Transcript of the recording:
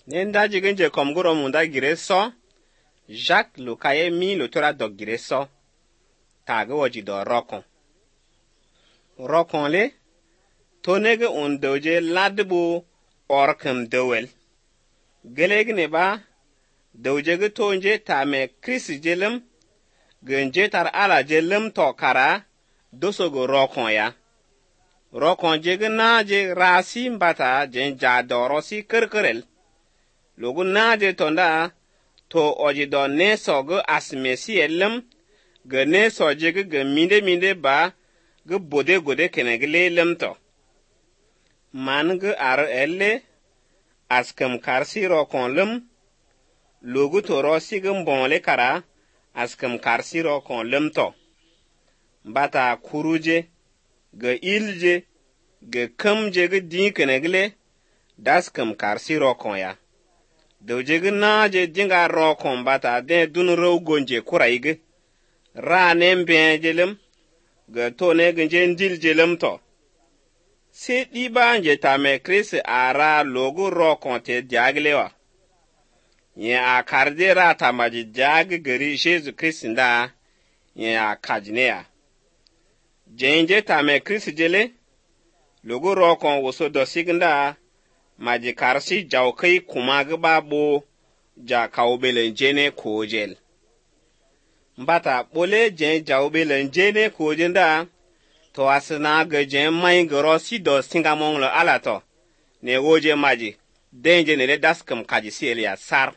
Nenda jigenje komguro munda gire so, Jacques lukaye mi lutora dog gire so, tage waji do rokon. Rokon le, tonege undoje ladbu orkem dowel. Gelegne ba, dowjege tonje tame Chris jelem, genje tar ala jelem to kara, dosogo rokon ya. Rokon jege naje rasi mbata jen jadorosi kerkerel. Logu naje tonda to ojido ne sogo asmesi elem, ge ne sojege ge minde ba, ge bode gode kenegle lemto. Man ge ar elle, askem karsi rokon lem, logu to rosi ge mbonle kara, askem karsi rokon lemto. Bata kuruje, ge ilje, ge kamje ge din kenegle, daskem karsi rokon ya. Dowjege naje dinga rokon bata den dun row gonje kuraige. Ra nembe jelem, ge tone genje ndil jelem to. Se diba nje tame Chris ara logo rokon te diaglewa. Yen a karde ra tamaji diag geri Jesu Chris nda, yen a kajneya. Jenje tame Chris jele, logo rokon woso dosignda, maji karsi jawkai kumag babo ja kaubelen jene kojel. Mbata bole jen jawbelen jene kojenda, to asina ge jen main grosi do singamong lo alato, ne woje maji, denje nele daskem kaji sielia sar.